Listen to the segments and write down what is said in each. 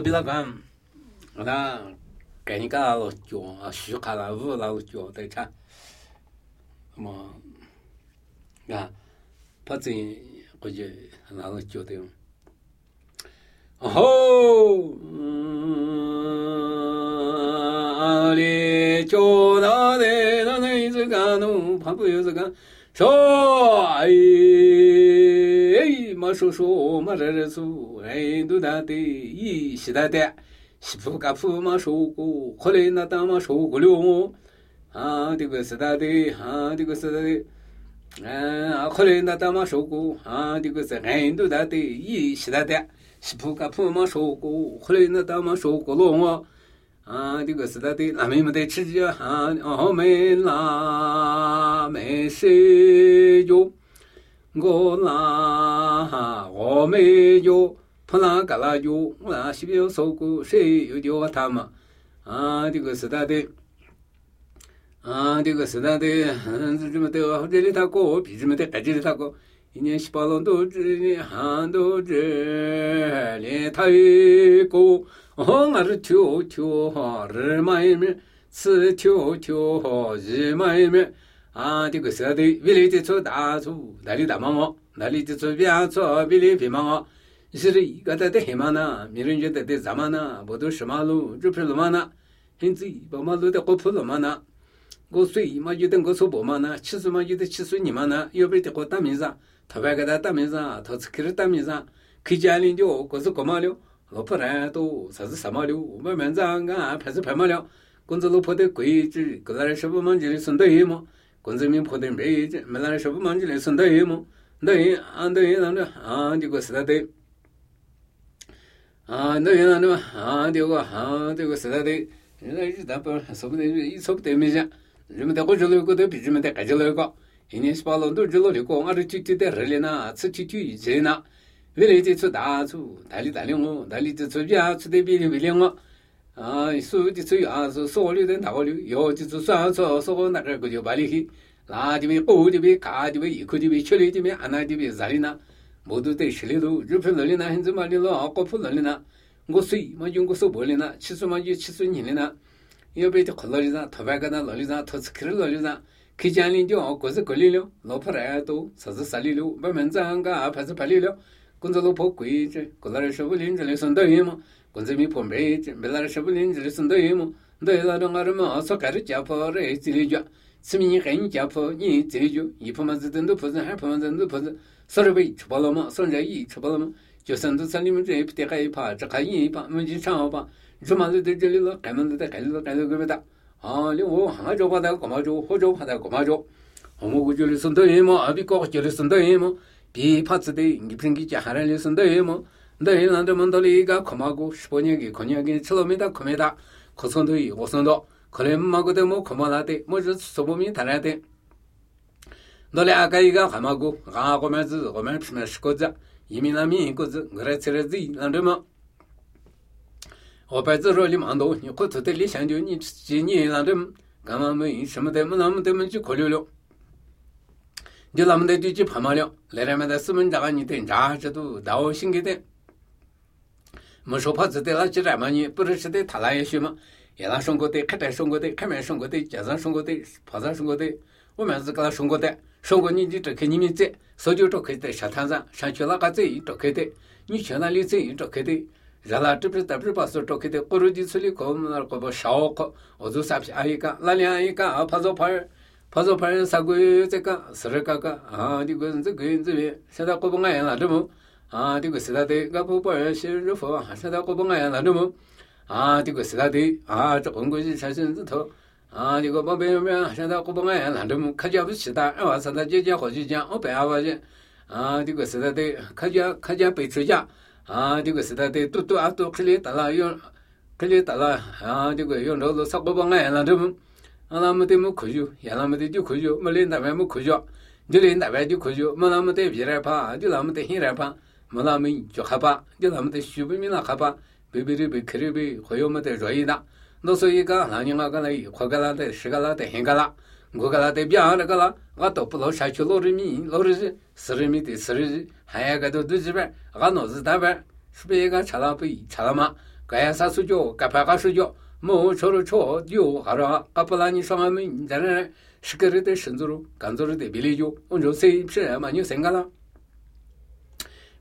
比那个，那给你个老脚啊，虚卡了五老脚在唱，么啊，怕真估计那老脚的。哦，阿里脚那的那一只干弄，怕不有这个说哎。马叔叔马这苏哎都大的一西大的西铺嘎铺马叔姑后来那大马叔姑了啊这个是大的啊这个是大的后来那大马叔姑啊这个是哎都大的一西大的西铺嘎铺马叔姑后来那大马叔姑了啊这个是大的俺们没得吃着啊我们啦没事就我啦，我没有，碰那个啦有，我那西边收过，谁有叫他嘛？啊，这个是他的，啊，这个是他的，这么的，这里他过，比这么的，这里他过，一年18龙都这，hand都这，连他一个，哦，我是跳跳哈，日嘛一面，是跳跳哈，日嘛一面。啊，这个是的，为了这出大出，那里大忙我，那里这出别出，为了别忙我，是的，一个在的黑马呢，没人觉得的咱们呢，不都是马路，这不是马呢，因此把马路的过铺了嘛呢，我水嘛就等我说不嘛呢，70嘛就得70你嘛呢，要不然的我打面上，他白给他打面上，他是开始打面上，开家里就我是干嘛了，老婆人都啥是什么了，我们长啊还是拍嘛了，工作老婆的规矩，个人是不忙就送到一嘛。工资没破的没这，没那什么忙起来送到一么，对啊对那的啊这个是他的，啊对那的嘛啊这个是他的，那日他不说不得一说不得没讲，人们在我这里个都比人们在这里个，一年18龙都这里个，俺这就在这里呢，吃一切呢，为了这出大出，大里我，大里这出别出的别的为了我。啊，所有的只有啊，是所有的大流，有就是算说说那个就把你去，那这边高这边高这边一块这边缺的这边安那这边啥的呢？모두 다 실리도日本人呢，现在嘛的了，国普人呢，我水嘛用过手玻璃呢，70嘛就70年呢，要不就可老的上，头发个那老的上，头子开老的上，开家里就各是各里了，老婆来都啥是啥里了，慢慢长个还是拍里了，工作老婆贵着，过来是不领着来送到一嘛。工资没破没那什么人这里送到一么，对那种俺们所干的家婆来这里讲，吃米很家婆你这里就一破嘛是真的破子，还破嘛真的破子，40倍吃饱了嘛，30亿吃饱了嘛，就生都在里面这一得还一趴，这还一趴，没去长吧，这嘛是在这里了，干嘛在干了干了个不大，啊，你我还着把它干嘛着，或者把它干嘛着，我们就里送到一么，比高就里送到一么，比怕子的你平给家下来里送到一么。너희 나한테만 돌리가 고마고 15년기 건약이 처음이다 코메다 고선도이 고선도 그래마고도 뭐 고마나데 뭐저 소범이 달아야돼 너네 아가이가 가마고 가고면서 고면 피면시고자 이미남이 이거지 그래서지 난데마 오빠들이 만도 니 고토들이 상주니 지니 난데 가마면 什么的么那么的么去걸려려 이제 남들 뒤지 파마려 레라마다 쓰면 자가니 된 자저도 나오 신기대没说怕子的那几人嘛，你不是吃的他那也许嘛，也那送过的，开店送过的，开门送过的，街上送过的，跑上送过的，我们是给他送过的，送过你就可以你们在，所以就可以在沙滩上，上去那个在就可以的，你去那里在就可以的，热了这不是这不是把手就可以的，过了几次里过那个不烧烤，我就三批阿一个，那两一个啊，拍照拍三个月这个40个啊，这个现在过不爱了这么。啊，这个是他的，我不把些热火，现在我不爱那种么？啊，这个是他的，啊，这红国是产生字头，啊，这个宝贝们，现在我不爱那种么？客家不是的，我现在姐姐好去讲，我白话去，啊，这个是他的，客家背出家，啊，这个是他的，都啊都可以打了用，可以打了，啊，这个用着啥我不爱那种么？啊，那么的么科学，也那么的就科学，没领导么科学，就领导就科学，没那么的别人怕，就那么的黑人怕。没那么就害怕，就他们的虚不明了害怕，被克里被会有没得热意的，那所以个那你那个来，快个啦的10个啦的10个啦，5个啦的别那个啦，我都不老下去老人民40米的40，还有个都几边，我脑子大边，是不是个查了不查了嘛？ 가야 사수죠 가파가 수죠 뭐 저로 저 하라 아플라니 상하면 자네 시끄르데 신조로 간조르데 빌리죠 온조 세입세 많이 생각나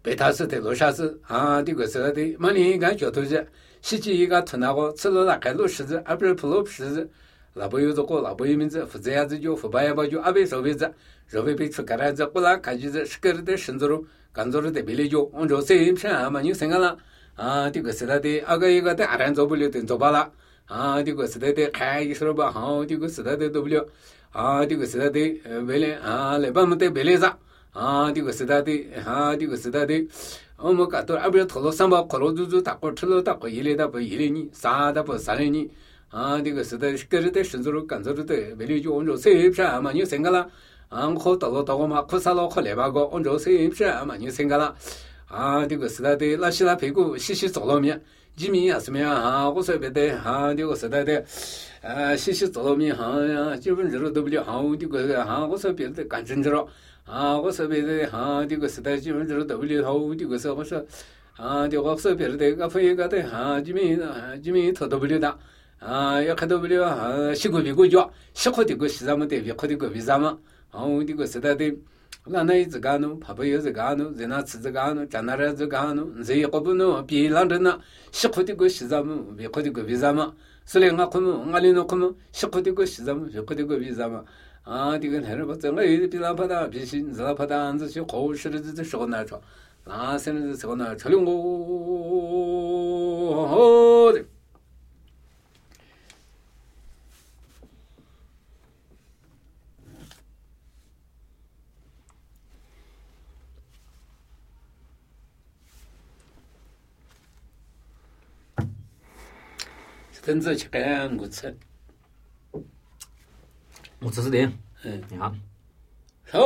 베타스데 로샤스 디고스데 많이 가져도제 시지가 터나고 틀어라 갈로시즈 아플 플롭시즈 라보유도고 라보유민즈 부자야즈죠 부바야바죠 아베소베자 저베비 추가라자 꼴라 가지즈 시끄르데 신조로 간조르데 빌리죠 온조 세입세 많이 생각나 디고스데 아가이가데 아란조불려된 조발라 디고스데 카이스로바 디고스데 W 디고스데 벨레 레바문테 벨레자 디고스데 어머가도 아브르 톨로 삼바 콜로두주 다고 틀로 다고 일레다 버 일레니 사다 버 살레니 디고스데 시끄르데 신조로 간조르데 벨리죠 온조 세입샤 많이 생각나 안코 떨어다고 막 쿠살로 콜레바고 온조 세입샤 많이 생각나 디고스데 라시라 베고 시시走路面 지미 아스면 고서베데 디고스데 시시走路面 基本上都不了고서베데 간전저로 고서베데 디고스데基本上都不了디고서 고서 디고서베데 가페가데 지미 더도不了다 약도不了시고비고죠 시고디고 시자모데 비코디고 비자마 디고스데 라나이즈가노 파바여즈가노 제나츠즈가노 자나라즈가노 제이코부노 비란드나 시코디고 시자무 비코디고 비자마 슬랭아코무 알리노코무 시코디고 시자무 비코디고 비자마 디건 헤르버츠가 이 빌라파다 비신 자파다 안즈시 고우시르즈 쇼나죠 라세르즈 쇼나 철용고真正去干我吃，我只是的，嗯，你看。